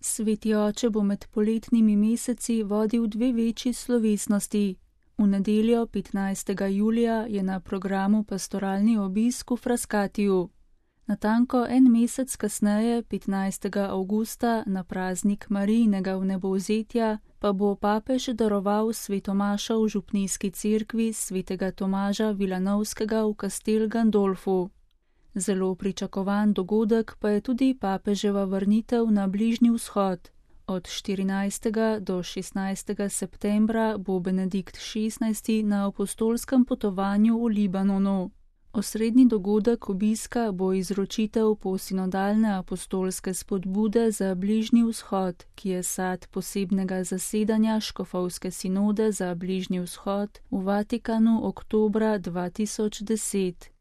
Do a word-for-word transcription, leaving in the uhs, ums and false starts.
Sveti oče bo med poletnimi meseci vodil dve večji slovesnosti. V nedeljo petnajstega julija je na programu pastoralni obisk v Frascatiju. Natanko en mesec kasneje, petnajstega avgusta, na praznik Marijinega vnebovzetja, pa bo papež daroval svetomašo v župnijski cerkvi svetega Tomaža Vilanovskega v Castel Gandolfu. Zelo pričakovan dogodek pa je tudi papeževa vrnitev na Bližnji vzhod. Od štirinajstega do šestnajstega septembra bo Benedikt šestnajsti na apostolskem potovanju v Libanonu. Osrednji dogodek obiska bo izročitev posinodalne apostolske spodbude za Bližnji vzhod, ki je sad posebnega zasedanja škofovske sinode za Bližnji vzhod v Vatikanu oktobra dva tisoč deset.